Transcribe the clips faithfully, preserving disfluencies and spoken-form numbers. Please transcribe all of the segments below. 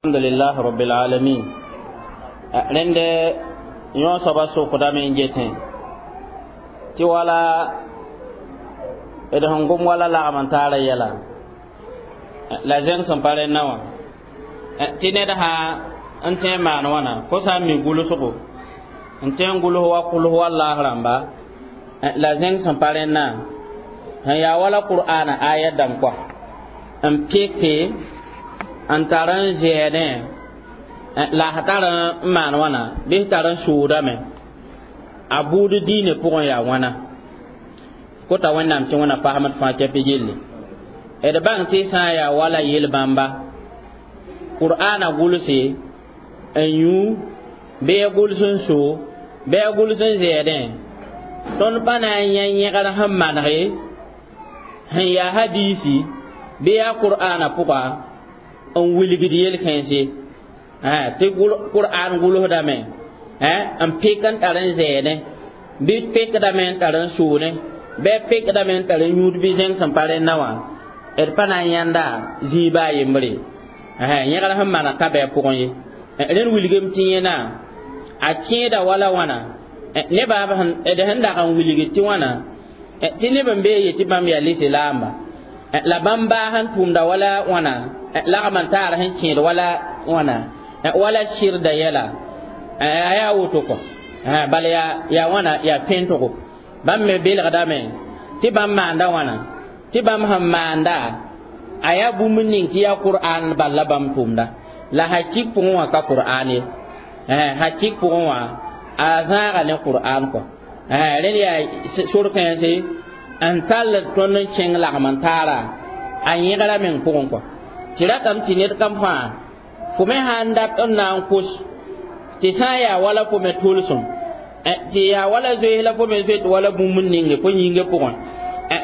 الحمد لله رب العالمين rẽnd yõ soaba sokdame n getẽ tɩ wala d sẽn gom wala lagm n taara yɛla la zẽng sẽn pa rẽnna wã tɩ ned sã n tẽ n maan wãna fo sã n mi gʋlsgo n tẽ n gʋls wa kʋls wa laas rãmba la zẽng sẽn pa rẽnna sẽn yaa wala qur'ana aya dãmb kɔa n peke n tar n zɛɛdẽ la a tar n maan wãna bɩ tar n sʋʋdame a buud diine pʋgẽ yaa wãna kota wẽnnaam tɩ wẽna fasmd fãa kɛpɩ gilli d bãng tɩ sã n yaa wala yel-bãmba qur'ana gʋlse n yũ bɩ a gʋls n so bɩ a gʋls n zɛɛdẽ tõnd pa na n yã yẽgr sẽn manege sẽn yaa hadiisi bɩ yaa qur'ana pʋga n wilgd yel-kãense tɩ qur'an gʋlsdame n pek n tar n zɛɛdẽ bɩ pekdame n tar n soone bɩ pekdame n tar n yũud bɩ zẽng sẽn pa rẽnna wã d pa na n yãnda zĩiba a yembre yẽgr sẽn maneg ka bɩ a pʋgẽ ye rẽnd wilgem tɩ yẽna a kẽeda wala wãna nebã d sẽn dag n wilg tɩ wãna tɩ neb n bee ye tɩ bãmb yaa lislaamba la bãmb baa sẽn tʋʋmda wala wãna lagm n taar sẽn kẽed wala wãna wala sɩrda yɛla a yaa woto kɔ bala yaa yaa wãna yaa pẽntgo bãmb me belgdame tɩ bãmb maanda wãna tɩ bãmb sẽn maanda a yaa bũmb ning tɩ yaa qur'an bal la bãmb tʋʋmda la hakik pʋgẽ wã ka qur'an ye hakik pʋgẽ wã a zãaga ne qur'an kɔ rẽnd yaa sor-kãense n tall tõnd n kẽng lagm n taara a yẽgra meng pʋgẽ kɔ tɩ ratame tɩ ned kam fãa fo me sã n dat n na n kos tɩ sã n yaa wala fo me tʋlsem tɩ yaa wala zoees la fo me zoet wala bũmb n ninge fo yĩngã pʋgẽ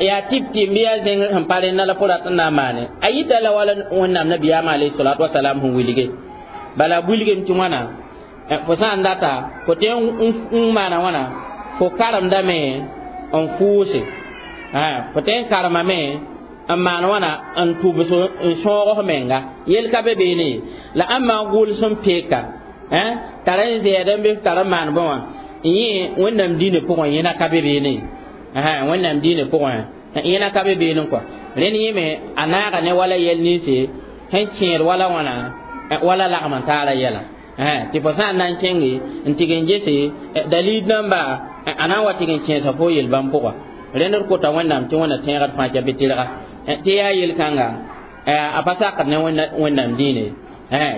yaa tɩp tɩ n bɩ yaa zẽng sẽn pa rẽnna la fo rat n na n maane a yita la wala wẽnnaam nabiyaamã alayhi salatu wasalam sẽn wilge bala wilgem tɩ wãna fo sã n data fo tɩ n maana wãna fo karemdame n fʋʋse fo tɩ n karemame n maan wãna n tʋbs n sõog menga yel ka be beene la ãmb gʋls n peka tar n zɛɛd n bɩ tar n maan bõe wã yẽ wẽnnaam diinã pʋgẽ yẽna ka be beene wẽnnaam diinã pʋgẽ yẽna ka be beene kɔ rẽnd yẽ me a naaga ne wala yɛl ninse sẽn kẽed wala wãna wala lagm n taara yɛla tɩ fo sã n na n kẽnge n tɩg n gese dalil namba a na n wa tɩg n kẽesa fo yel-bãmb pʋga rẽnd d kota wẽnnaam tɩ wẽnna tẽegd fãa kɛ bɩ tɩrga tɩ yaa yel-kãnga a pa sakd ne wẽnnaam diine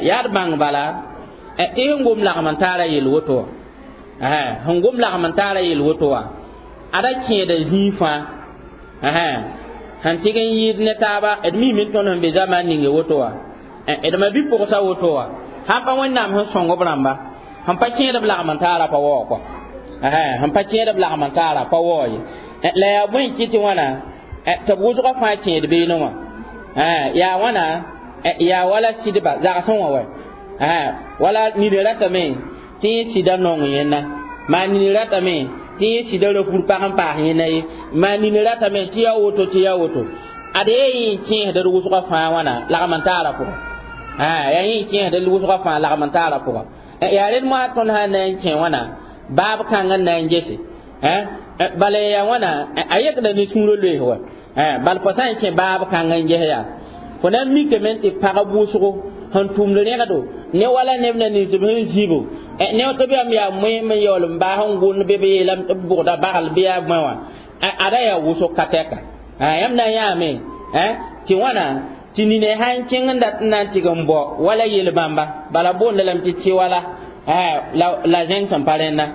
yaa d bãng bala tɩ sẽn gom lagm n taara yel woto wã sẽn gom lagm n taara yel woto wã ada kẽeda zĩig fãa sẽn tɩg n yɩɩd ne taaba d miime tõnd sẽn be zamaan ninge woto wã d ma bi-pʋgsa woto wã sãn pa wẽnnaam sẽn sõng b rãmba sẽn pa kẽed b lagm n taara pa waoog kɔ sẽn pa kẽed b lagm n taara pa waoog ye la yaa bõe n kɩ tɩ wãna tɩ b wʋsgã fãa kẽed beene wã yaa wãna yaa wala sɩdba zagsẽ wã wɛ wala nid ratame tɩ yẽ sɩda nong yẽnna maa nini ratame tɩ yẽ sɩda rafur pag n paas yẽnna ye maa nini ratame tɩ yaa woto tɩ yaa woto ad yaa yẽ n kẽesd d wʋsgã fãa wãna lagm n taara pʋgã yaa yẽ n kẽesd d wʋsgã fãa lagm n taara pʋgã yaa rẽnd moasã tõnd sã n na n kẽ wãna baab kãng n na n gese bala yaa wãna a yekda ne sũurã loees wa bal fo sã n kẽ baab kãng n ges yaa fo na n mikame tɩ pag wʋsgo sẽn tʋmd rẽgdo ne wala neb na ninsb sẽn zĩbo ne tɩ b yam yaa moeem n yaool n baas n gʋnd bɩ b yeelame tɩ b bʋgda bagl bɩ yaa bõe wã ada yaa wʋsg ka tɛka yãmb na n yãame tɩ wãna tɩ nine sã n kẽng n dat n na n tɩg n bao wala yel-bãmba bala boonda lame tɩ tɩ wala la zẽng sẽn pa rẽnna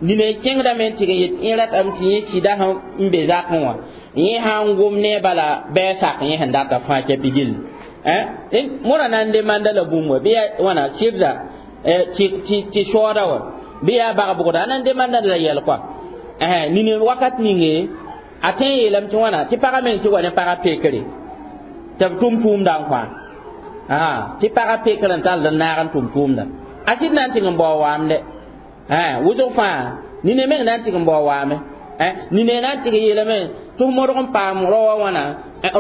nine kẽngdame n tɩg n yet yẽ ratame tɩ yẽ sɩda sẽn be zakẽ wã yẽ sã n gom ne bala bɩ a sak yẽ sẽn data fãa kɛpɩ gilli mora na n demanda la bũmb wa bɩ yaa wãna sɩrda tɩ soooda wa bɩ yaa bag-bʋgda a na n demanda la yɛl kɔa nini wakat ninge a tõe n yeelame tɩ wãna tɩ pagã meng tɩ wa ne pagã pekre tɩ b tʋm tʋʋmda n kõ tɩ pagã pekr n tall n naag n tʋm tʋʋmda a sɩd na n tɩg n bao waamde wʋsg fãa nine meng na n tɩg n bao waame nine na n tɩg yeelame tɩ f modg n paam rao wã wãna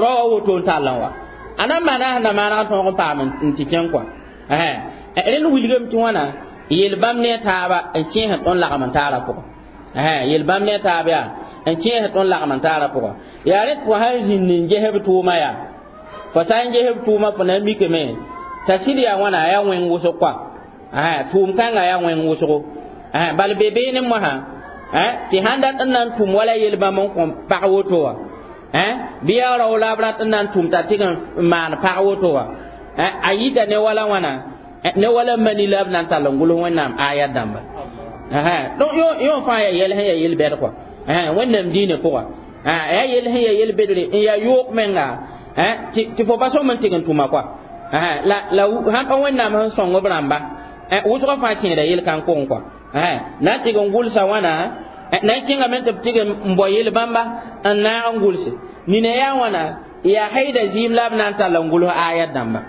rao wã woto n tall n wa A na n maana sẽn na maaneg n tõog n paam n tɩ kẽng kɔa. Rẽnd wilgame tɩ wãna yel bãmb ne a taaba n kẽesd tõnd lagem n taara pʋgẽ. Yel bãmb ne a taab yaa n kẽesd tõnd lagem n taara pʋgẽ. Yaa rẽ tɩ fo sã n zĩnd n ges b tʋʋma yaa fo sã n ges b tʋʋma fo na n mikame t'a sɩd yaa wãna a yaa wẽng wʋsg kɔa. Tʋʋm kãngã yaa wẽng wʋsgo. Bal be beene mosã tɩ sãn dat n na n tʋm wala yel bãmb n kõ pag woto wã, bɩ yaa rao la b rat n na n tʋm t'a tɩg n maan pag woto wã, a yita ne wala wãna ne wala mani la b na n tall n gʋls Wẽnnaam ayat dãmba. Donc yõ fãa yaa yɛl sẽn yaa yel-bɛd kɔa Wẽnnaam diinã pʋga, yaa yel sẽn yaa yel-bedre n yaa yoog menga tɩ fo pa sõm n tɩg n tʋma kɔa. La la sãn pa Wẽnnaam sẽn sõng b rãmba wʋsgã fãa kẽeda yel-kãng pʋgẽ kɔa, na n tɩg n gʋlsa wãna na n kẽngame tɩ b tɩg n bao yel bãmba n naag n gʋlse nina yaa wãna yaa haida zɩɩm la b na n tall n gʋls ayat dãmba,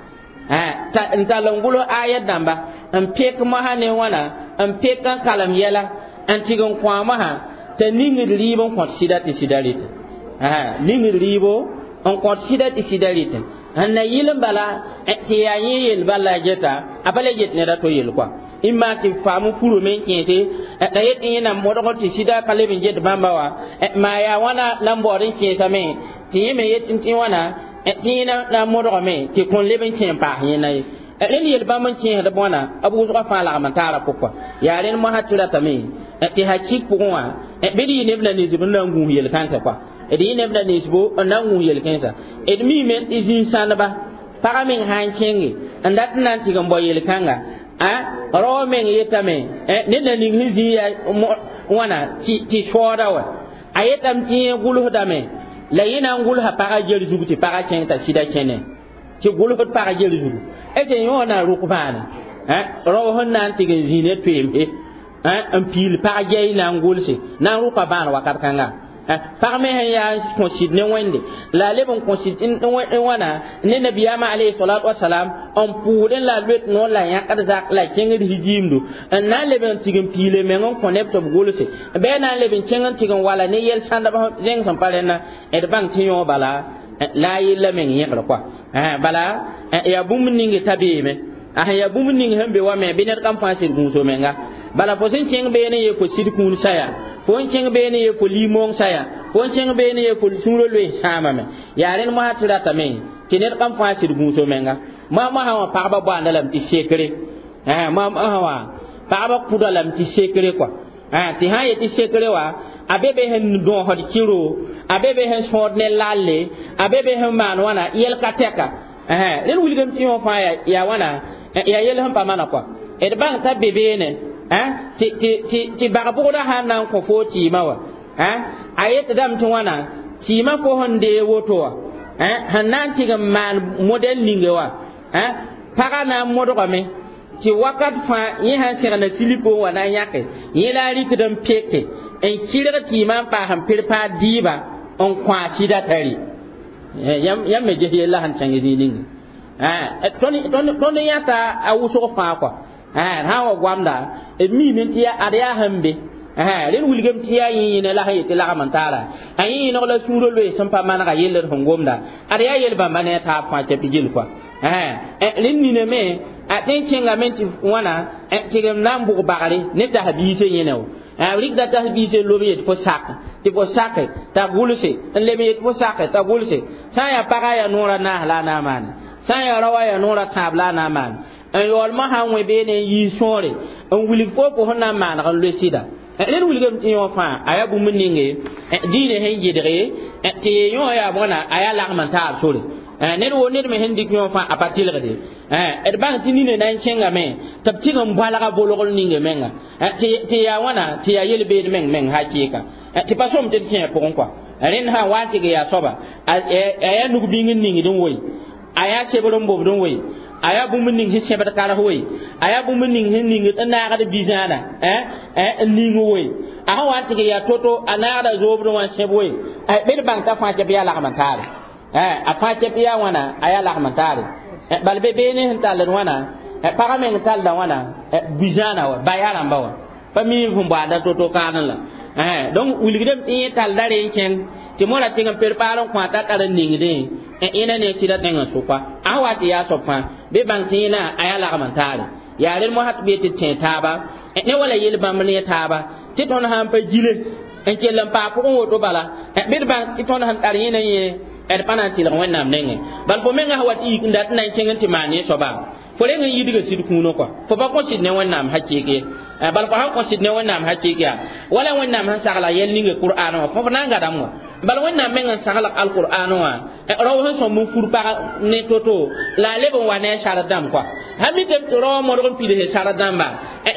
n tall n gʋls ayat dãmba n pek mosã ne wãna n pek n kalem yɛla n tɩg n kõ mosã t'a ningd rɩɩb n kõt sɩda tɩ sɩda rɩtẽ, ningd rɩɩbo n kõt sɩda tɩ sɩda rɩtẽ n na yɩl n bala tɩ yaa yẽ yel bala a geta a pa le get ned a to yel kɔa imma tɩ faam furame n kẽese la yet tɩ yẽna modg tɩ sɩda pa leb n get bãmba wã maa yaa wãna la n baood n kẽesame tɩ yẽ me yet tɩ wãna tɩ yẽ na modgame tɩ kõn leb n kẽ n paas yẽna ye. Rẽnd yel bãmb n kẽesd bõna b wʋsgã fãa lagm n taara pʋgkɔa. Yaa rẽnd mosã tɩ ratame tɩ hakik pʋgẽ wã bɩ d yɩ neb na ninsb n na n gũus yel-kãnsã kɔa, d yɩ neb na ninsbo n na n gũus yel-kãensã. D miime tɩ zĩig-sãndba pagã meng sã n kẽnge n dat n na n tɩg n bao yel-kãnga rao meng yetame ned na ning sẽn zĩ yaa wãna tɩ soooda wa a yetame tɩ yẽ gʋlsdame la yẽ na n gʋlsa pagã ger zug tɩ pagã kẽng t'a sɩda kẽne tɩ gʋlsd pagã ger zugu tɩ yõ na rʋk bãane rao sẽn na n tɩg n zĩ ne toeemse n piil pag gɛy na n gʋlse na n rʋka bãan wakat kãnga. Pag me sẽn yaa n kõ sɩd ne Wẽnde la a leb n kõ sɩd n wãna ne nabiyaamã alayhi salatu wasalam n pʋʋdẽ la a loet noor la yãkd zak la kẽngd hijiimdu n na n leb n tɩg n piile meng n kõ neb tɩ b gʋlse bɩ a na n leb n kẽng n tɩg n wala ne yel-sãndb zẽng sẽn pa rẽnna d bãng tɩ yõ bala la a yella meng yẽgr kɔa. Bala yaa bũmb ninge t'a beeme a sẽn yaa bũmb ning sẽn be wa me bɩ ned kam fãa sɩd gũuso menga. Bala fo sẽn kẽng beene ye fo sɩd kũun saya, fo n kẽng beene ye fo limong saya, fo n kẽng beene ye fo sũurã loees sãamame. Yaa rẽnd mosã tɩ ratame tɩ ned kam fãa sɩd gũuso menga. Moa mosã wã pagba boanda lame tɩ sekre, moa mosã wã pagba kʋda lame tɩ sekre kɔa, tɩ sã n yet tɩ sekre wã a be be sẽn dõosd kɩro, a be be sẽn sõod ne lalle, a be be sẽn maan wãna yɛl ka tɛka. Rẽnd wilgame tɩ yõ fãa yaa wãna yaa yel sẽn pa mana kɔa. D bãng t'a be beene tɩ bag-bʋgdã sã n na n kõ foo tɩɩmã wã a yetdame tɩ wãna tɩɩmã fo sẽn dee woto wã sẽn na n tɩg n maan modɛl ninge wã pagã na n modgame tɩ wakat fãa yẽ sãn segna silipo wã na n yãke yẽ la a rɩkd n peke n kɩrg tɩɩmã n paas n perpaad dɩɩba n kõ a sɩda t'a rɩ. Yãmb me ges yella sẽn kẽng zĩig ninge tõnd yãta a wʋsg fãa kɔa sã n wa goamda d miime tɩ ad yaa sẽn be rẽnd wilgame tɩ yaa yẽ yẽne la sẽn yet tɩ lagm n taara a yẽ yẽneg la sũurã loees sẽn pa manega yell d sẽn gomda ad yaa yel bãmba ne a taab fãa tɩ b gil kɔa. Rẽnd niname a tẽn kẽngame tɩ wãna tɩg n na n bʋg bagre ne tas-biisã yẽne wo rɩkda tas-biisã lob yet fo sak tɩ fo sake t'a gʋlse n leb yet fo sake t'a gʋlse sã n yaa pagã yaa noorã naas la a na n maane, sã n yaa raoã yaa noorã tãab la a na n maane n yaool mosã n wẽ beene n yiis sõore n wilg fo fo sẽn na n maaneg n loe sɩda. Rẽnd wilgame tɩ yõ fãa a yaa bũmb ninge diinã sẽn gɩdge tɩ yõ yaa bõna a yaa lagm n taab sore ned wo ned me sẽn dɩk yõ fãa a pa tɩlgde. D bãng tɩ nina na n kẽngame tɩ b tɩg n bõalga bolgl ninge menga tɩ yaa wãna tɩ yaa yel-beed meng meng hakɩɩka tɩ pa sõm tɩ d kẽ pʋgẽ kɔa. Rẽnd sã n wa n tɩg yaa soaba a yaa nug-bĩng n ningd n woe, a yaa sebr n bobd n woe, a yaa bũmb ning sẽn sẽbd kares woe, a yaa bũmb ning sẽn ningd n naagd bi-zãada n ning woe, a sẽn wa n tɩg yaa to-to a naagda zoobd wã n sẽb woe. Bɩ d bãng t'a fãa kɛp yaa lagm n taare, a fãa kɛp yaa wãna a yaa lagm n taare. Bal be beene sẽn talld wãna pagã meng tallda wãna bi-zãana wa ba yaa rãmba wã pa mi sẽn boanda to-to kaanẽ la. Donc wilgdame tɩ yẽ tallda re n kẽng tɩ mora tɩg n perpaar n kõ a t'a tar n ningdẽ Ẽna ne sɩda tẽngã sʋka a wa tɩ yaa soab fãa bɩ bãng tɩ yẽna a yaa lagm n taare yaa rel mosã tɩ b yetɩ tẽ taaba ne wala yel bãmb ne taaba tɩ tõnd sãn pa gile n kell n paa pʋgẽ woto bala bɩ d bãng tɩ tõnd sẽn tar yẽna yẽ d pa na n tɩlg Wẽnnaam nengẽ bal fo menga sã wa tɩ yik n dat n na n kẽng n tɩ maan ne soaba fo reng n yidga sɩd kũunã kɔa fo pa kõ sɩd ne Wẽnnaam hakɩɩk ye bal fo sãn kõ sɩd ne Wẽnnaam hakɩɩk yaa wala Wẽnnaam sẽn sagla yɛl ninga Qur'an wã fo na n gadame wã bal Wẽnnaam meng n sagl alqur'an wã rao sẽn sõmb n fur pag ne to-to la a leb n wa ne a sar dãmb kɔa sã mi tɩ rao modg n pids sar dãmba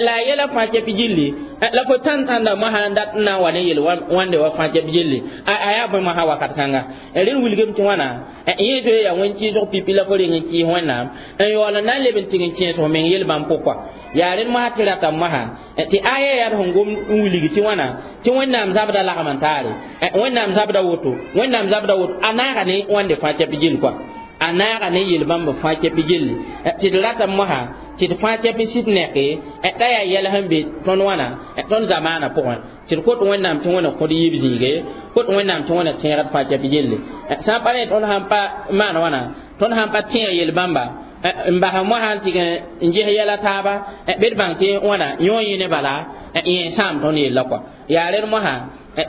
la a yɛla fãa kɛp gilli la fo tãn tãnda mosã n dat n na n wa ne yel wãnde wa fãa kɛp gilli a yaa bõe mosã wakat kãnga rẽnd wilgame tɩ wãna yẽ zoe yaa wẽn-kɩɩsg pipi la fo reng n kɩɩs Wẽnnaam n yaool n na n leb n tɩg n kẽes f meng yel bãmb pʋg kɔa yaa rẽnd mosã tɩ rata mosã tɩ aya yaa sẽn gom n wilg tɩ wãna tɩ Wẽnnaam zabda lagm n taare Wẽnnaam zabda woto Wẽnnaam zabda woto a naaga ne wãnde fãa kɛp gill kɔa a naaga ne yel bãmb fãa kɛp gilli tɩ d rata mosã tɩ d fãa kɛp sɩd neke t'a yaa yɛl sẽn be tõnd wãna tõnd zamaana pʋgẽ tɩ d kot Wẽnnaam tɩ Wẽnna kõd yiib zĩige kot Wẽnnaam tɩ Wẽnna tẽegd fãa kɛp gilli sã n pa ne tõnd sãn pa maan wãna tõnd sãn pa tẽeg yel bãmba n bas mosã n tɩg n ges yɛla taaba bɩ d bãng tɩ wãna yõ yẽ ne bala yẽ sãam tõnd yella kɔa yaa rẽd mosã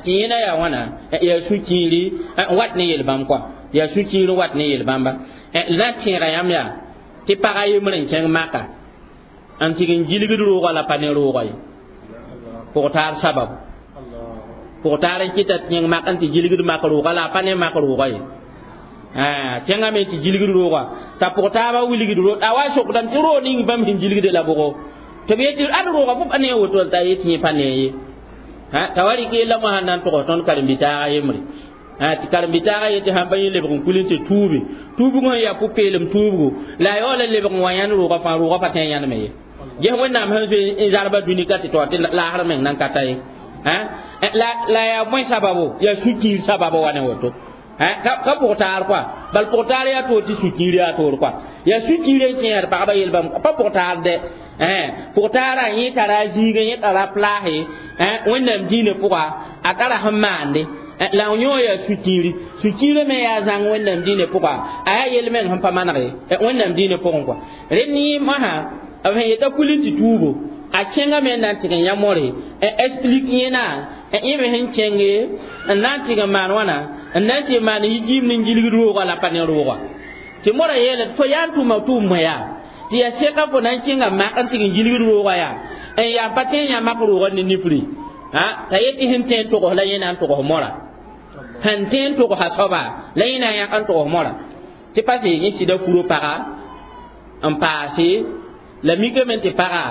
tɩ yẽna yaa wãna yaa sũ-kiiri n wat ne yel bãmb kɔa yaa sũ-kiir n wat ne yel bãmba la n tẽega yãmb yaa tɩ pag a yembr n kẽng maka n tɩg n gilgd roogã la pa ne roogã ye pʋgtaar sababu pʋgtaar n kɩta tẽng mak n tɩ gilgd mak roogã la a pa ne mak roogã ye kẽngame tɩ gilgd roogã t'a pʋgtaabã wilgd roog a wa sokdame tɩ roog ning bãmb sẽn gilgde la bʋgo tɩ b yetɩ ad roogã fo pa ne woto t'a yetɩ yẽ pa ne ye t'a wa rɩk yella mosã na n tʋgs tõnd karen-bitaaga yembre tɩ karen-bitaaga yetɩ sãn pa yẽ lebg n kul n tɩ tuube tuubg sẽn yaa pʋ-peelem tuubgo la a yaool n lebg n wa yãnd roogã fãa roogã pa tẽ n yãndme ye ges Wẽnnaam sẽn zoe n zarba dũni ka tɩ taoor tɩ laasr meng nan ka ta ye la yaa bõe sababo yaa sũ-kiir sababo wa ne woto ka pʋgtaar kɔa bal pʋgtaar yaa toor tɩ sũ-kiir yaa toor kɔa yaa sũ-kiir n kẽer pagba yel bãmb pa pʋgtaar dɛ pʋgtaarã yẽ tara a zĩigẽ yẽ tara plaase Wẽnnaam diinã pʋga a tara sẽn maande la yõ yaa sũ-kiiri sũ-kiirã me yaa zãng Wẽnnaam diinã pʋga a yaa yel meng sẽn pa manege Wẽnnaam diinã pʋgẽ kɔa rẽnd yẽ mosã b sẽn yeta kul n tɩ tuubo a kẽngame n na n tɩg n yã more explique yẽna yẽ me sẽn kẽnge n na n tɩg n maan wãna n na n tɩ maan yijiim ne gilgd roogã la pa ne roogã tɩ mora yeele fo yaa n tʋma tʋʋm yaa tɩ yaa seka fo na n kẽnga mak n tɩg n gilgd roogã yaa n yaa pa tẽ n yã mak roogã ne nifri t'a yetɩ sẽn tẽ n togs la yẽ na n togs mora sẽn tẽ n togsa soaba la yẽ na n yãk n togs mora tɩ pa sɩ yẽ sɩda furo paga n paase la mikame tɩ paga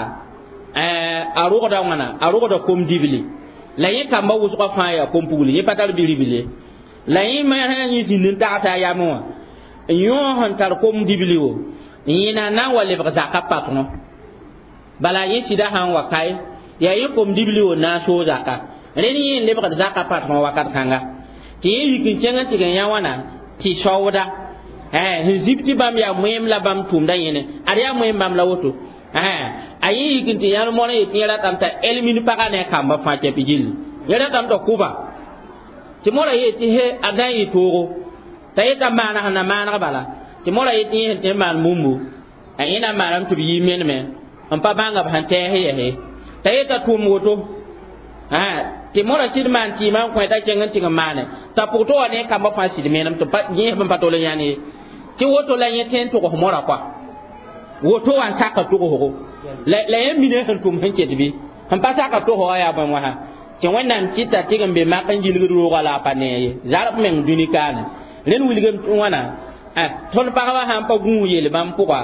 a rogda wãna a rogda kom dibli la yẽ kamba wʋsgã fãa yaa kom-pugli yẽ pa tar biribl la yẽ me sã yẽ zĩnd n tagsa a yamẽ wã yõ sẽn tar kom dibli wo yẽna na n wa lebg zaka patõ bala yẽ sɩda sã n wa kae yaa yẽ kom dibli wo na n soog zaka rẽnd yẽ n lebgd zaka patõ wakat kãnga tɩ yẽ yik n kẽng n tɩg n yã wãna tɩ saooda sẽn zib tɩ bãmb yaa moeem la bãmb tʋʋmda yẽne ad yaa moeem bãmb la woto a yẽ yik n tɩ yãnd moarã yetɩ yẽ ratame t'a elmin pagã ne a kamba fãa kɛp gilli yẽ ratame t'a kʋba tɩ mora yetɩ he a na n yɩ toogo t'a yeta maaneg sẽn na maaneg bala tɩ mora yetɩ yẽ sẽn tɩ n maan bũmbu a yẽ na n maaname tɩ b yɩ meneme n pa bãnga b sẽn tɛɛs yɛse t'a yeta tʋʋm woto tɩ mora sɩd maan tɩɩmã n kõ t'a kẽng n tɩg n maane t'a pʋg tɩ wa ne kamba fãa sɩd menem tɩ yẽsb n pa tol n yãnd ye tɩ woto la yẽ tẽ n togs mora kɔa woto wa n saka togsgo la yẽ mina sẽn tʋm sẽn ket bɩ sẽn pa saka togsga yaa bõe wãsa tɩ Wẽnnaam kɩta tɩg n be mak n gilgd roogã la a pa nee ye zarb meng dũni kaane rẽnd wilgame wãna tõnd pagba sãn pa gũus yel bãmb pʋga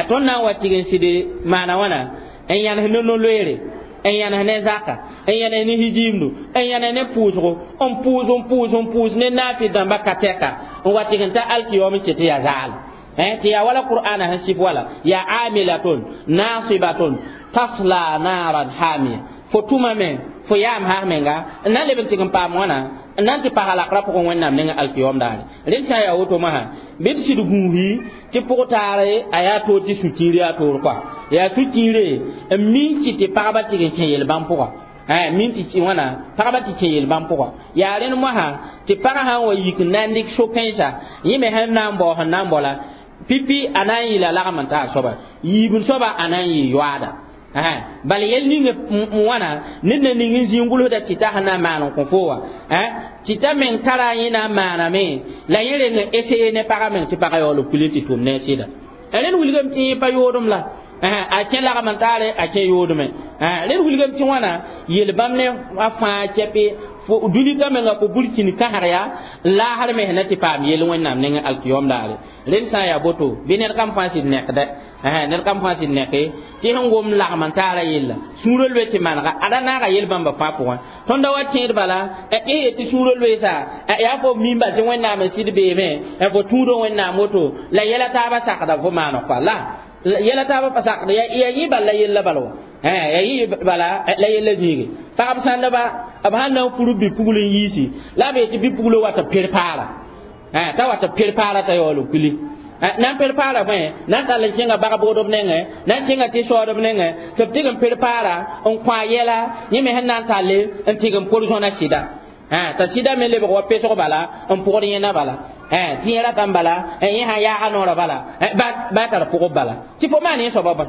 tõnd na n wa tɩg n sɩd maana wãna n yãnes ne no-loeere n yãnes ne zaka n yãnes ne hijiimdu n yãnes ne pʋʋsgo n pʋʋs n pʋʋs n pʋʋs ne naafɩ dãmba ka tɛka n wa tɩg n ta alkiyoom n ket yaa zaal tɩ yaa wala qur'ana sẽn sɩf wala yaa amilatun nasibatun tasla naran hamiya fo tʋmame fo yaam sas menga n na n leb n tɩg n paam wãna n na n tɩ pasa lakra pʋgẽ Wẽnnaam nengã alkiyoom daare rẽnd sã n yaa woto mosã bɩ d sɩd gũusi tɩ pʋg-taare a yaa toor tɩ sũ-kiir yaa toor kɔa yaa sũ-kiire n min kɩ tɩ pagba tɩg n kẽ yel-bãmb pʋga eh min tɩ wãna pagba tɩ kẽ yel bãmb pʋga yaa rẽnd moasã tɩ pagã sã n wa yik n na n dɩk so-kãensa yẽ me sẽn na n bao sẽn na n bao la pipi a na n yɩla lagm n taa soaba yiibd soaba a na n yɩ yoaada bala yɛl ning n wãna ned na ning n zĩ n gʋlsda tɩ ta sẽn na n maan n kõ fo wã tɩ t'a meng tara yẽ na n maaname la yẽ reng n esee ne pagã meng tɩ pagã yaool b kul n tɩ tʋm ne a sɩda rẽnd wilgame tɩ yẽ pa yoodem la a kẽ lagm n taare a kẽ yoodme rẽnd wilgame tɩ wãna yel bãmb ne a fãa kɛpe dũni ka menga fo burkĩn kãsg yaa n laasr me na tɩ paam yel wẽnnaam nengẽ alkiyom daare rẽnd sã n yaa boto bɩ ned kam fãa sɩd nekda ned kam fãa sɩd neke tɩ sẽn gom lagm n taara yella sũurã loe tɩ manega ada naaga yel bãmba fãa pʋgẽ tõnd da wa tẽed bala y yet tɩ sũurã loeesa yaa fo mimba tɩ wẽnnaam n sɩd beeme fo tũudã wẽnnaam woto la yɛla taabã sakda fo maaneg koa la yɛla taabã pa sakda yaa yẽ bal la yella bala wã yaa yẽ bala la yella zĩige pagb sãndba b sãn na n fur bi-pugl n yiisi la b yetɩ bi-puglo wa tɩ perpaara t'a wa tɩ perpaara t'a yaool n kuli na n perpaara bõe na n tall n kẽnga bag-bʋgdb nengẽ na n kẽnga tɩ soodb nengẽ tɩ b tɩg n perpaara n kõ a yɛla yẽ me sẽn na n talle n tɩg n por zõna sɩda t'a sɩda me lebg wa pesg bala n pʋgd yẽna bala tɩ yẽ ratame bala yẽ sã yaaga noorã bala ba tar pʋgb bala tɩ fo maan yẽ soaba bõe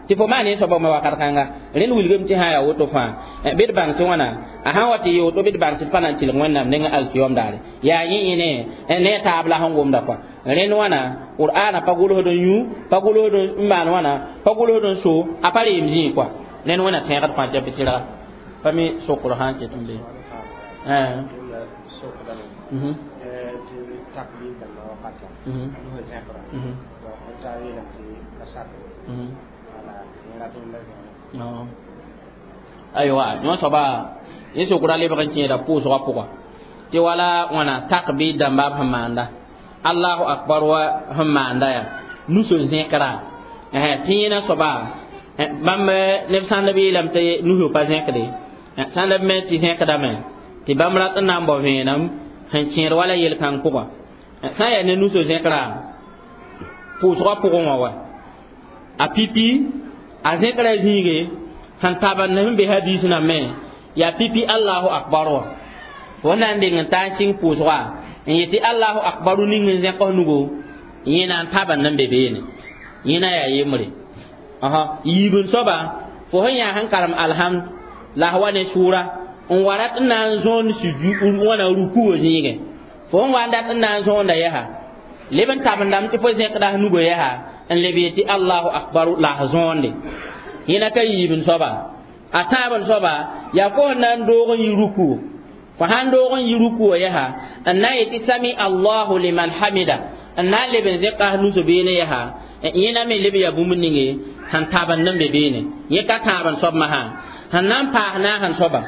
tɩ fo maan yẽ soaba me wakat kãnga rẽnd wilgame tɩ sã yaa woto fãa bɩ d bãng tɩ wãna a sã wa tɩ yɩ woto bɩ d bãng tɩ d pa na n tɩlg wẽnnaam nengẽ alkiyom daare yaa yẽ yẽ ne ne a taab la sẽn gomda kɔa rẽnd wãna qur'ana pa gʋlsd n yũ pa gʋlsd n maan wãna pa gʋlsd n so a pa reem zĩig kɔa rẽnd wẽna tẽegd fãa tɩ b tɩrga pa mi sokr sã n ket n be aywa yõ soaba yẽ sokra lebg n kẽeda pʋʋsgã pʋga tɩ wala wãna tak bɩ dãmba b sẽn maanda allahu akbar wa sẽn maanda yaa nuso zẽkra tɩ yẽna soaba bãmb neb sãnd b yeelame tɩ nuso pa zẽkde sãnd b me tɩ zẽkdame tɩ bãmb rat n na n bao vẽenem sẽn kẽed wala yel-kãng pʋga sã n yaa ne nuso zẽkra pʋʋsgã pʋgẽ wã wa a pipi a zẽkra zĩige sẽn tabend sẽn be hadis nambẽ yaa pipi allahu akbar wã fo na n deng n taa n sɩng pʋʋsga n yetɩ allahu akbaru ning n zẽk f nugo yẽna n tabend n be beene yẽna yaa yembre yiibn soaba fo sẽn yaa sẽn karem alhamd la f wa ne sʋʋra n wa rat n na n zõond wãna rukugo zĩigẽ fo sẽn wa n dat n na n zõonda yɛsa leb n tabendame tɩ fo zẽkda f nugo yɛsa n leb yetɩ allahu akbaru la f zõonde yẽna ka yiibn soaba a tãabn soaba yaa fo sẽn na n doog n yi ruku fo sãn doog n yi ruku yɛsa n na n yetɩ sami allahu liman hamida n na n leb n zẽka f nuso beene yɛsa yẽna me leb yaa bũmb ninge sẽn tabend n be beene yẽ ka tãabn soab masã sẽn na n paas naasẽn soaba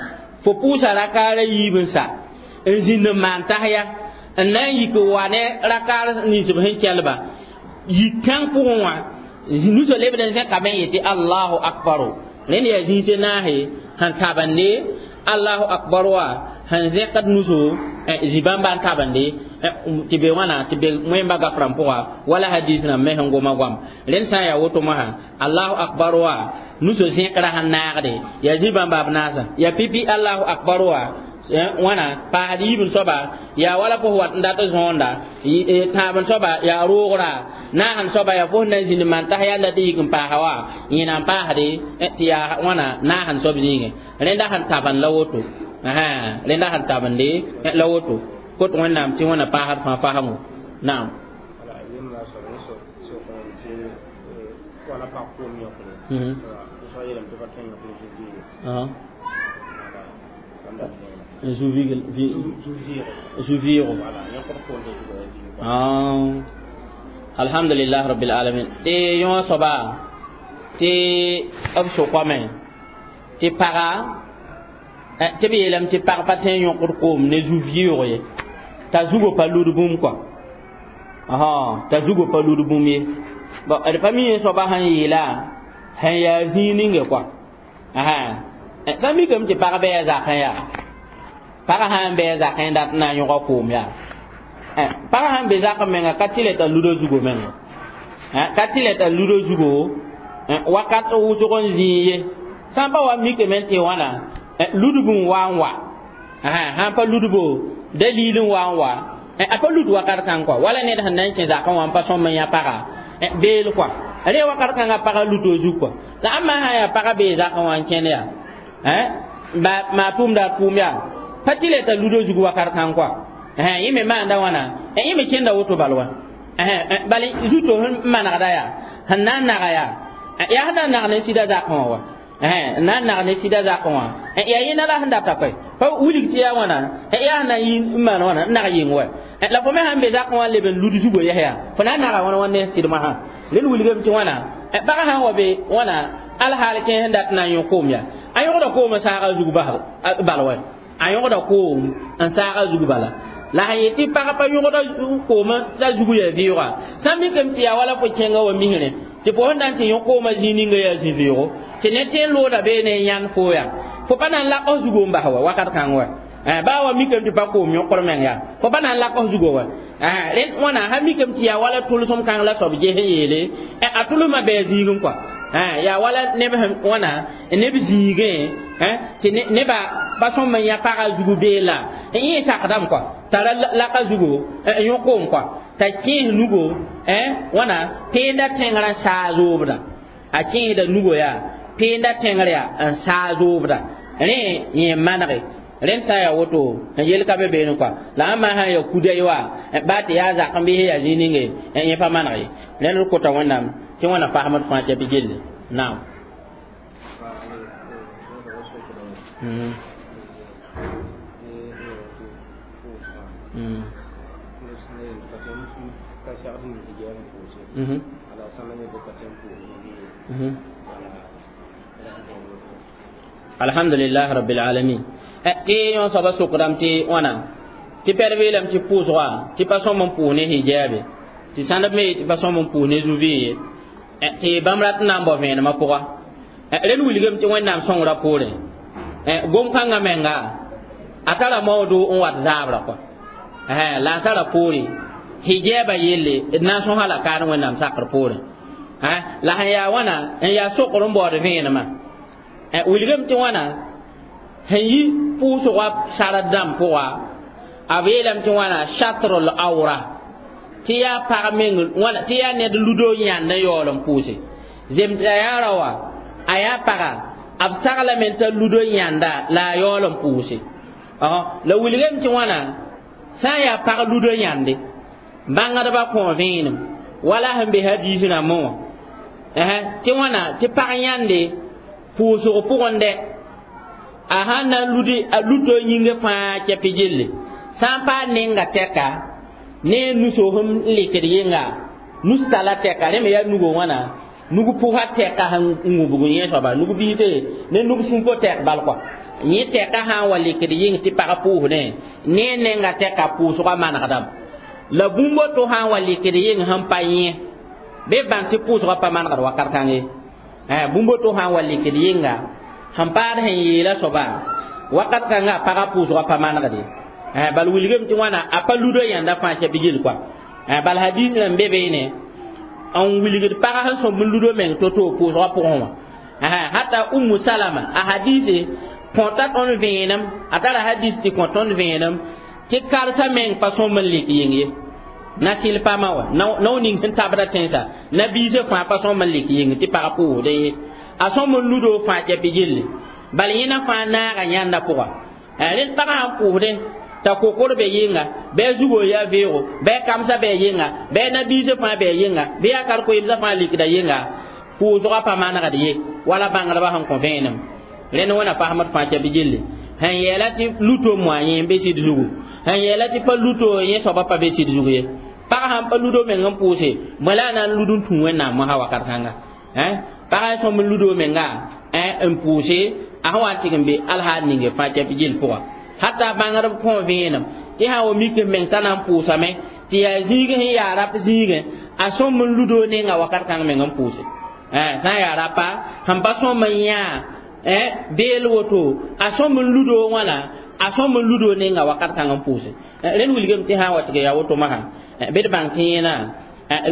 fo pʋʋsa rakaara yiib n sa n zĩnd n maan tasya n na n yik n wa ne rakaar nins b sẽn kɛlba yik kãng pʋgẽ wã nuso lebd n zẽkame n yetɩ allahu akbaru rẽnd yaa zĩise naase sẽn tabende allahu akbar wa sẽn zẽkd nuso zĩ-bãmba n tabende tɩ be wãna tɩ be wẽmba gafrã pʋga wala hadis rãmb me sẽn goma goam rẽnd sã n yaa woto mosã allahu akbar wa nuso zẽkra sẽn naagde yaa zĩ-bãmba b naasã yaa pipi allahu akbar wa wãna paasd yiibn soaba yaa wala fo wat n dat n zõonda tãabn soaba yaa roogra naasẽn soaba yaa fo sẽn na n zĩnd maan tas yaa n dat n yik n paasa wa yẽna n paasde tɩ yaa wãna naasẽn soab zĩigẽ rẽnda sẽn tabend la woto rẽnda sẽn tabende la woto kot wẽnnaam tɩ wẽna paasd fãa fasmo naam zu-vɩɩgo alhamdulillah rabbil alamin tɩ yõ soaba tɩ b sʋkame tɩ paga tɩ b yeelame tɩ pag pa tõe n yõkd koom ne zu-vɩʋʋg ye t'a zugo pa lud bũmb kɔa t'a zugo pa lud bũmb ye d pa mi yẽ soaba sẽn yeela sẽn yaa zĩig ninge kɔa sã mikame tɩ pag bɩ a zakẽ yaa pagã sã n bɩ a zakẽ dat n na n yõga koom yaa pagã sãn be zakẽ menga ka tɩ le t'a luda zugo menga ka tɩ le t'a luda zugo wakat wʋsg n zĩig ye sã n pa wa mikame tɩ wãna Ludb n wa n wa sã n pa ludbo dalil n wa n wa a pa lud wakat kãng kɔa wala ned sẽn na n kẽ zakã wã n pa sõm n yã paga beel kɔa rẽ wakat kãngã pagã luto zug kɔa la ãmba sã n yaa pagã bee zakã wã n kẽnd yaa maa tʋʋmda a tʋʋm yaa pa tɩ le t'a ludo zug wakat kãng kɔa yẽ me maanda wãna yẽ me kẽnda woto bal wa bal zuto sẽn manegda yaa sẽn na n naga yaa yaa sẽn na n nag ne sɩda zakã wã wa n na n nag ne sɩda zakã wã yaa yẽnda la sẽn data koɛ pa wilg tɩ yaa wãna yaa sẽn na n yi n maan wãna n nag yɩng wa la fo me sãn be zakã wã leb n lud zugo yɛs yaa fo na n naga wãna wã ne sɩdmã sã rẽnd wilgame tɩ wãna pagã sã n wa be wãna alhaal kẽ sẽn dat na n yõ koom yaa a yõgda koom n saaga zug bal wa a yõgda koom n saaga zug bala la sẽn yet tɩ pag pa yõgda koom t'a zug yaa vɩʋga sã n mikame tɩ yaa wala fo kẽnga wa misrẽ tɩ fo sẽn na n tɩ yõ koomã zĩig ninga yaa zĩ-vɩʋgo tɩ ne tẽ n looda bee ne yãnd fo yaa fo pa na n lak f zugo n bas wa wakat kãng wa baa wa mikame tɩ pa koom yõkr meng yaa fo pa na n lak f zugo wa rẽnd wãna sã mikame tɩ yaa wala tʋlsem kãng la soab ges n yeele a tʋlsmã bɩ a zĩigẽ kɔa yaa wala neb sẽn wãna neb zĩigẽ tɩ nebã pa sõm n yã pagã zugu beela yẽ sakdame kɔa t'a ra laka zugo n yõ koom kɔa t'a kẽes nugo wãna peenda tẽngrã saa zoobda a kẽesda nugo yaa peenda tẽngr yaa n saa zoobda rẽ yẽ manege rẽnd sã n yaa woto n yel ka be beene kɔa la ãmba sã n yaa kuday wa baa tɩ yaa zak n bɩs yaa zĩig ninge yẽ pa maneg ye rẽnd d kota Wẽnnaam tɩ wãna fasmd fãa tɩ bɩ gelle naam. Mm. Mm. Mm. Mm. Alhamdulillah rabbil alamin. Tɩ yõ soaba sokdame tɩ wãna tɩ pɛd beelame tɩ pʋʋsga tɩ pa sõm n pʋʋs ne hijaabe tɩ sãndb me tɩ pa sõm n pʋʋs ne zu-vɩ ye tɩ bãmb rat n na n bao vẽenemã pʋga rẽnd wilgame tɩ Wẽnnaam sõngrã poorẽ gom-kãngã menga a tara maoodo n wat zaabrã kɔa la a tara poore hijaaba yelle d na n sõsa la kaad Wẽnnaam sakr poorẽ la sẽn yaa wãna n yaa sokr n baood vẽenemã wilgame tɩ wãna sẽn yi pʋʋsgã sard dãmb pʋga a beelame tɩ wãna shatrul awra tɩ yaa pag meng wãna tɩ yaa ned ludo yãnd n yaool n pʋʋse zemd a yaa ra wa a yaa paga b saglame t'a ludo yãnda la a yaool n pʋʋse la wilgame tɩ wãna sã n yaa pag ludo yãnde bãngdbã kõ vẽenem wala sẽn be hadiis rãmbẽ wã tɩ wãna tɩ pag yãnde pʋʋsg pʋgẽ dɛ a sãn na n ludi a luto yĩngã fãa kɛpɩ gelle sã n paam nenga tɛka ne nusoos n lekd yɩnga nus tala tɛka rẽ me yaa nugo wãna nug pʋsa tɛka sẽn wũbg yẽ soaba nug biise ne nug sũpo tɛk bal kɔa yẽ tɛka sã n wa lekd yɩng tɩ pag pʋʋsdẽ ne nenga tɛka pʋʋsgã manegdame la bũmb to sã n wa lekd yɩng sẽn pa yẽ bɩ bãng tɩ pʋʋsgã pa manegd wakat kãng ye bũmb to sã n wa lekd yɩnga sẽn paad sẽn yeela soaba wakat kãngã pagã pʋʋsgã pa manegde bal wilgame tɩ wãna a pa ludo yãnda fãa kɛpɩ gel kɔa bal hadiis rãmb be beene n wilgd pagã sẽn sõmb n ludo meng to-to pʋʋsgã pʋgẽ wã hata Ummu Salama a hadiise kõta tõnd vẽenem a tara hadis tɩ kõ tõnd vẽenem tɩ karsa meng pa sõmb n lik yĩng ye na sɩl pamã wa nao ning sẽn tabda tẽnsã nabiisã fãa pa sõmb n lik yĩng tɩ pagã pʋʋsdẽ ye a sõmb n ludo fãa kɛpɩ gelle bal yẽna fãa naaga yãnda pʋga rẽnd pagã sãn pʋʋsdẽ t'a kokor be yɩnga bɩ a zugo yaa veoogo bɩ a kamsã bɩ a yɩnga bɩ a nabiisã fãa bɩ a yɩnga bɩ yaa kar-koeemsã fãa likda yɩnga pʋʋsgã pa manegd ye wala bãngdbã sẽn kõ vẽenem rẽnd wẽna fasmd fãa kɛpɩ gelle sẽn yeela tɩ luto moa yẽ n be sɩd zugu sẽn yeela tɩ pa luto yẽ soaba pa be sɩd zug ye pag sãn pa ludo meng n pʋʋse bõe la a na n lud n tũ Wẽnnaam mosã wakat kãnga pagã sõm n ludo menga n pʋʋse a sẽn wa n tɩg n be alhaal ninge fãa kɛpɩ gell pʋga hata bãngdb kõ vẽenem tɩ sã wa mik n meng t'a na n pʋʋsame tɩ yaa zĩig sẽn yaa rap zĩigẽ a sõm n ludo nenga wakat kãng meng n pʋʋse sã n yaa rapa sẽn pa sõm n yãa beel woto a sõm n ludo wãna a sõm n ludo nenga wakat kãng n pʋʋse rẽnd wilgame tɩ sã n wa tɩg yaa woto masã bɩ d bãng tɩ yẽna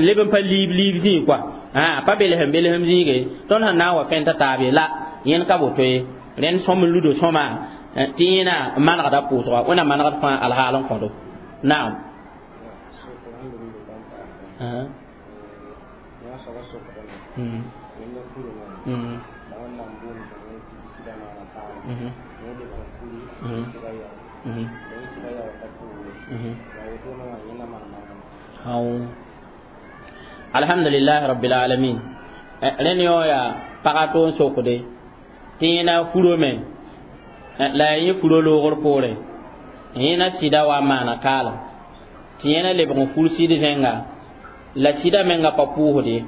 leb n pa liib liib zĩig kɔa pa belsem belsem zĩige tõnd sẽn na n wa fẽn t'a taab ye la yẽnd ka boto ye. rẽnd sõm n ludo sõma tɩ yẽna n manegda pʋʋsga wẽnnaam manegd fãa alhaal n kõdo naam alhamdulillah rabbil alamin rẽnd yõ yaa pagã to n sokde tɩ yẽna furome la ya yẽ furo loogr poorẽ yẽna sɩda wa n maana kaalem tɩ yẽna lebg n fur sɩd zẽnga la sɩda menga pa pʋʋsd ye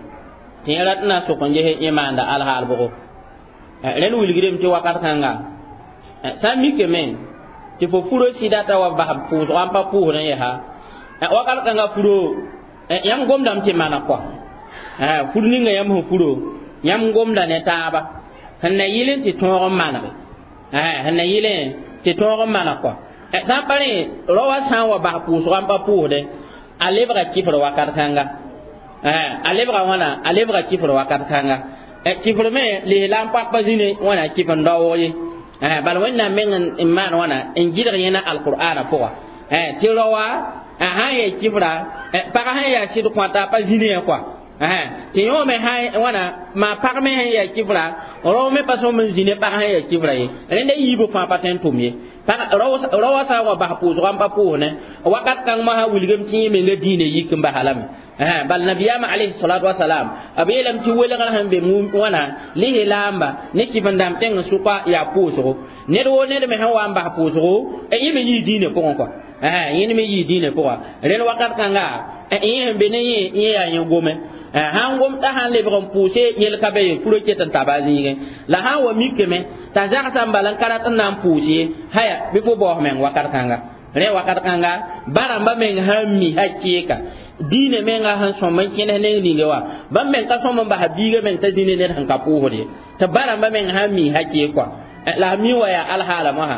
tɩ yẽ rat n na n sok n ges yẽ maanda alhaal bʋgo rẽnd wilgdame tɩ wakat kãnga sã n mikame tɩ fo furo sɩda t'a wa bas pʋʋsga n pa pʋʋsd n yɛsa wakat kãnga furo yãmb gomdame tɩ maneg kɔa fur ninga yãmb sẽn furo yãmb gomda ne taaba sẽn na yɩl n tɩ tõog n manege sẽn na yɩl n tɩ tõog n maneg kɔa sã n pa rẽ rao wã sã n wa bas pʋʋsga n pa pʋʋsdẽ a lebga kifr wakat kãnga a lebga wãna a lebga kifr wakat kãnga kifr me lislaam pak pa zĩne wãna kif n daoog ye bala wẽnnaam meng n maan wãna n gɩdg yẽna alqur'aana pʋga tɩ rao wã sã n yaa kifra pagã sẽn yaa sɩd kõta a pa zĩne yã kɔa tɩ yõ me wãna maa pag me sẽn yaa kifra rao me pa sõm n zĩne pag sẽn yaa kifra ye rẽnda yiibã fãa pa tõe n tʋm ye rao wã sã n wa bas pʋʋsga n pa pʋʋsne wakat kãng mosã wilgame tɩ yẽ menga diinã yik n basa lame bal nabiyaamã alayhi salatu wasalam b yeelame tɩ welgr sẽn be wãna lislaamba ne kɩf-n-dãmb tẽng sʋka yaa pʋʋsgo ned woo ned me sẽn wa n bas pʋʋsgo yẽ me yii diinã pʋgẽ kɔa yẽnd me yii diinã pʋga rẽnd wakat kãnga yẽ sẽn be ne yẽ yẽ yaa yẽ gome sãn gom t'a sãn lebg n pʋʋse yel ka be ye furo ket n taba a zĩigẽ la sã n wa mikame t'a zagsã n bala n ka rat n na n pʋʋs ye haya bɩ fo baoos meng wakat kãnga rẽ wakat kãnga ba-rãmbã meng sãn mi hakeeka diinã menga sẽn sõm n kẽnes neng ninge wã bãmb meng ka sõm n basa biigã meng t'a zĩne ned sẽn ka pʋʋsd ye tɩ ba-rãmbã meng sãn mi hakeek kɔa la mi wa yaa alhaala mosã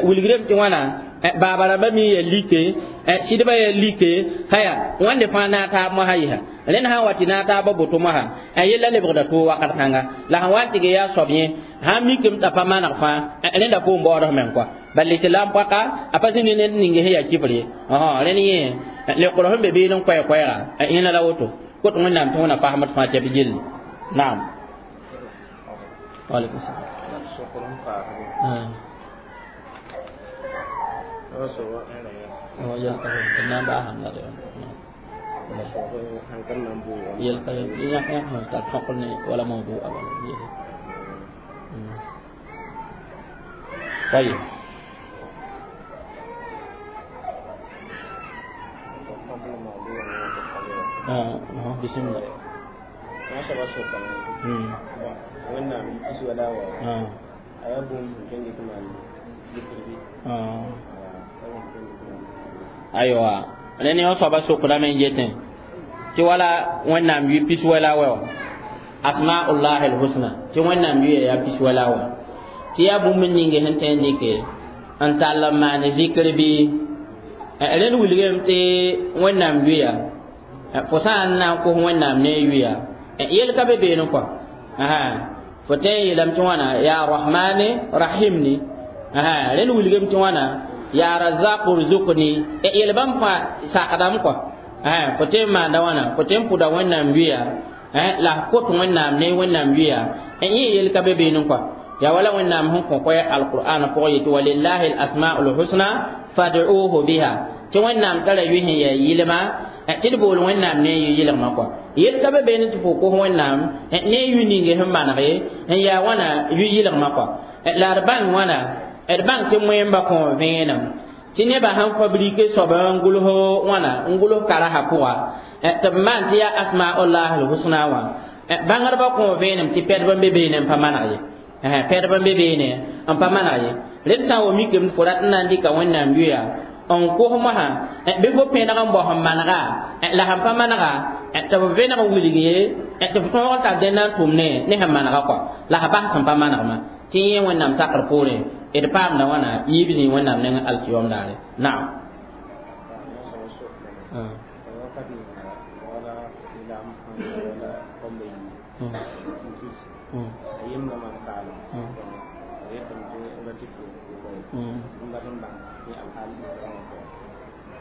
wilgdame tɩ wãna baaba rãmbã mi yaa like sɩdbã yaa like haya wãnde fãa naag taab mosã yɩsa rẽnd sã n wa tɩ naag taabã boto mosã yella lebgda toog wakat kãnga la sẽn wa n tɩg yaa soab yẽ sãn mikame t'a pa maneg fãa rẽnda poom baoodf meng kɔa bal lislaam paka a pa zĩni ned ning sẽn yaa kifr ye rẽnd yẽ lekr sẽn be beene n koɛɛ-koɛɛga yẽna la woto kot wẽnnaam tɩ wẽna pasmd fãa tɩ b gilli naam waalaikum salam طيب اه بسم الله aywa rẽnd yõ soaba sokdame n yetẽ tɩ wala wẽnnaam yʋ pis wɛla wɛ wã asmaullahi lhusna tɩ wẽnnaam yʋya yaa pis wɛla wã tɩ yaa bũmb ninge sẽn tõe n dɩke n tall n maan zikr bɩ rẽnd wilgame tɩ wẽnnaam yʋya fo sã n na n kos wẽnnaam ne yʋya yel ka be beene kɔa fo tõe n yeelame tɩ wãna yaa rahmane rahimni rẽnd wilgame tɩ wãna yaa razaq rzuqni yel bãmb fãa sakdame kɔa fo tõe n maanda wãna fo tõe n pʋda wẽnnaam yʋya la f kot wẽnnaam ne wẽnnaam yʋya yẽ yel ka be beene kɔa ya wala wẽnnaam sẽn kõ koɛ alqur'an pʋgẽ yetɩ walillahi alasmau lhusna fad'uhu biha tɩ wẽnnaam tara yʋ sẽn yaa yɩlma tɩ d bool wẽnnaam ne yʋ yɩlgmã kɔa yel ka be beene tɩ fo kos wẽnnaam ne yʋ ninge sẽn maneg n yaa wãna yʋ yɩlgmã kɔa la d bãng wãna d bãng tɩ moẽmba kõ vẽenem tɩ nebã sãn fabrike soab n gʋls wãna n gʋls karasã pʋga tɩ b maan tɩ yaa asmaullah lhusna wã bãngdbã kõ vẽenem tɩ pɛdb n be beene n pa maneg ye pɛdb n be beene n pa maneg ye rẽnd sã n wa mikame fo rat n na n dɩka wẽnnaam yʋya n kos mosã bɩ fo pẽneg n bao sẽn manega la sẽn pa manega tɩ b vẽneg n wilg ye tɩ f tõog n tar dẽnda n tʋm ne ne sẽn manega kɔa la sã bas sẽn pa manegmã tɩ yẽ wẽnnaam sakr poorẽ d paamda wãna yiib zĩig wẽnnaam nengẽ alkiyom daare naam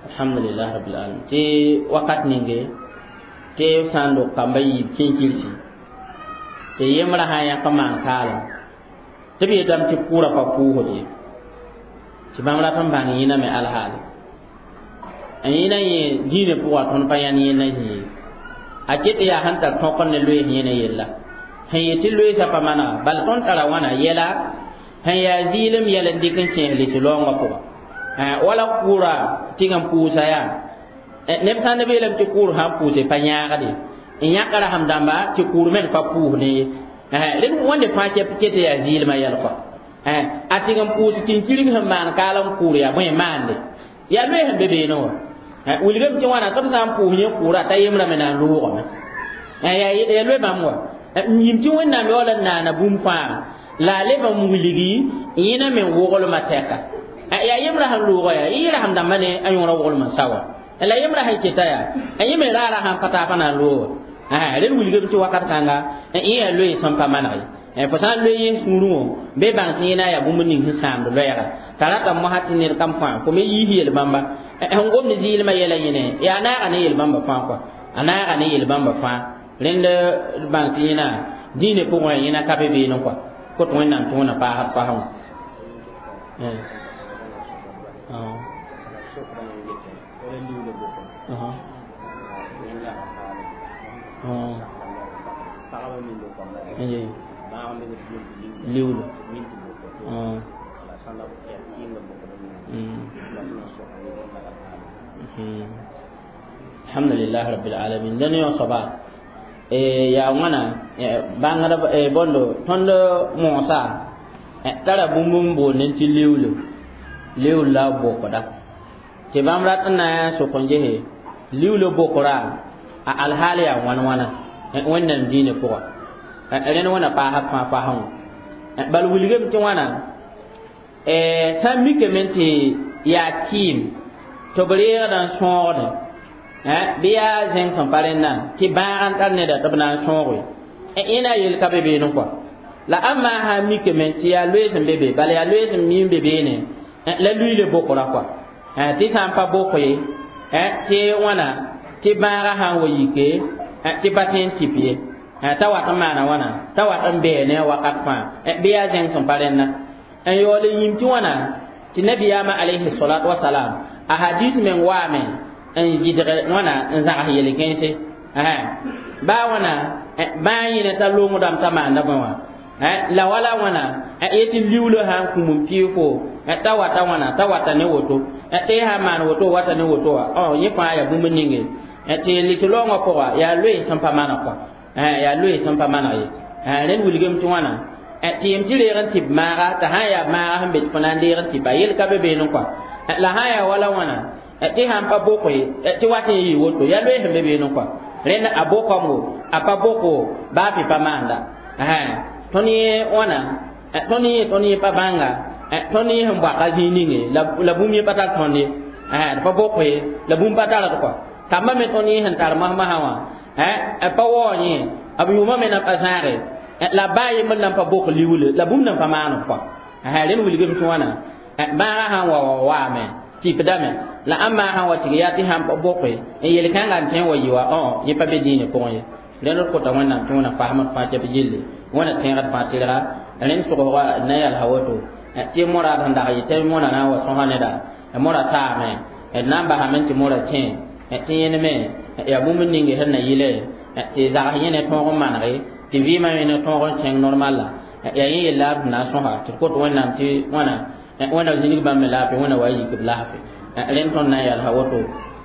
Alhamdulillah rabbil alamin. Tɩ wakat ninge tɩ sã n dog kamba yiib kẽnkirsi tɩ yembrã sã n yãk n maan kaalem tɩ b yetame tɩ kʋʋra pa pʋʋsd ye tɩ bãmb rat n bãng yẽna me alhaale n yẽna yẽ dĩinã pʋga tõnd pa yãnd yẽnda zĩ ye a ket yaa sẽn tar tõk n ne loees yẽna yella sẽn yet tɩ loeesã pa manega bala tõnd tara wãna yɛla sẽn yaa zɩɩlem yɛl n dɩk n kẽes lis-laoongã pʋga wala kʋʋra tɩg n pʋʋsa yaa neb sã n beelame tɩ kʋʋr sã n pʋʋse pa yãagde n yãk rasem dãmba tɩ kʋʋr me pa pʋʋsdẽ ye rẽnd wẽnde fãa ket yaa zɩɩlmã yɛl kɔa a tɩg n pʋʋs kĩnkirg sẽn maan kaal n kʋʋr yaa bõe maande yaa loe sẽn be beene wã wilgame tɩ wãna tɩ b sã n pʋʋs yẽ kʋʋra t'a yembrã me na n loogame yaa loe bãmb wa n yĩm tɩ wẽnnaam yaool n naana bũmb fãa la a leb n wilgi yẽna me n woglmã tɛka yaa yembrã sẽn loogã yaa yɩ rasem dãmbã ne a yõora woglmã sa wa la yembrã sẽn keta yaa yẽ me raara sãn pa taapa na n looga rẽnd wilgame tɩ wakat kãnga yẽ yaa loe sẽn pa maneg ye fo sã n loe yẽ sũurẽ wã bɩ bãng tɩ yẽna yaa bũmb ning sẽn sãamd loɛɛga t'a rata mosã tɩ ned kam fãa fo me yiis yel-bãmba sẽn gomd zɩɩlmã yɛla yẽne yaa naaga ne yel-bãmba fãa kɔa a naaga ne yel-bãmba fãa rẽnd bãng tɩ yẽna dĩinã pʋgẽ yẽna ka be beene kɔa kot wẽnnaam tɩ wẽna paasd pasẽ wã liwlo alhamdulillah rabbil alamin dẽn yõ soaba yaa wãna bãngd bõndo tõnd moosã tara bũmb n boondẽ tɩ liwlo liwlo la b bokda tɩ bãmb rat n na n sok n gese liwlo bokra a alhaal yaa wãn wãna wẽnnaam dĩinã pʋga rẽnd wẽna paasd fãa pasẽ wã bal wilgame tɩ wãna sã n mikame tɩ yaa kɩɩm tɩ b reegda n sõogdẽ bɩ yaa zẽng sẽn pa rẽndã tɩ bãag n tar neda tɩ b na n sõoge yẽna yel ka be beene kɔa la ãmba sã n mikame tɩ yaa loees n be be bala yaa loees n mi n be beene la luiile bokra kɔa tɩ sã n pa bok ye tɩ wãna tɩ bãagã sã n wa yike tɩ pa tõe n tɩp ye t'a wat n maana wãna t'a wat n bɛɛ ne a wakat fãa bɩ yaa zẽng sẽn pa rẽnna n yaool n yĩm tɩ wãna tɩ nabiyaamã alayhi salat wasalam a hadis meng waame n yidg wãna n zãgs yel-kẽnse baa wãna bãa yẽne t'a longdame t'a maanda bõe wã la wala wãna yetɩ liulo sã n kũm n pɩɩg fo t'a wata wãna t'a wata ne woto tɩ y sã n maan woto wata ne woto wã yẽ fãa yaa bũmb ninge tɩ lis-laoongã pʋga yaa loe sẽn pa maneg kɔa yaa loe sẽn pa maneg ye rẽnd wilgame tɩ wãna tɩ yem tɩ reeg n tɩ b maaga t'a sã n yaa maaga sẽn be tɩ fo na n deeg n tɩpa yel ka be beene kɔa la sã n yaa wala wãna tɩ sãn pa bok ye tɩ wat n yɩ woto yaa loe sẽn be beene kɔa rẽnd a bokame a pa boko baa pɩ pa maanda tõnd yẽ wãna tõnd yẽ tõnd yẽ pa bãnga tõnd yẽ sẽn bɔaka zĩig ninge la bũmb yẽ pa tar tõnd ye d pa bok ye la bũmb pa tard kɔa kambã me tõnd yẽ sẽn tar masmasã wã pa waoog yẽ b yʋʋmã me na pa zãage la baa yembr nan pa bok liuule la bũmb nan pa maan kɔa rẽnd wilgame tɩ wãna bãagã sã n wa wa waame tɩpdame la ãmba sã n wa tɩg yaa tɩ sãn pa boke n yel-kãngã n tõe n wa yɩ wa yẽ pa be dĩinã pʋgẽ ye rẽnd d kota wẽnnaam tɩ wẽna fasmd fãa tɩ b yelle wẽna tẽegd fãa tɩrga rẽnd sʋgsga na yalsa woto tɩ moraad sẽn dag yɩ tɩ mora na n wa sõsa neda mora taame d na n basame tɩ mora kẽ tɩ yẽne me yaa bũmb ninge sẽn na yɩle tɩ zags yẽ ne tõog n manege tɩ vɩɩmã me ne tõog n kẽng normal la yaa yẽ yella d na n sõsa tɩ d kot wẽnnaam tɩ wãna wẽna zĩnig bãmb me laafɩ wẽna wa yik b laafɩ rẽnd tõnd na n yalsa woto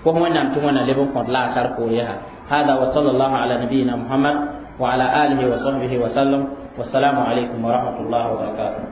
kos wẽnnaam tɩ wẽna leb n kõt laasar poor yaa هذا وصلى الله على نبينا محمد وعلى آله وصحبه وسلم والسلام عليكم ورحمة الله وبركاته.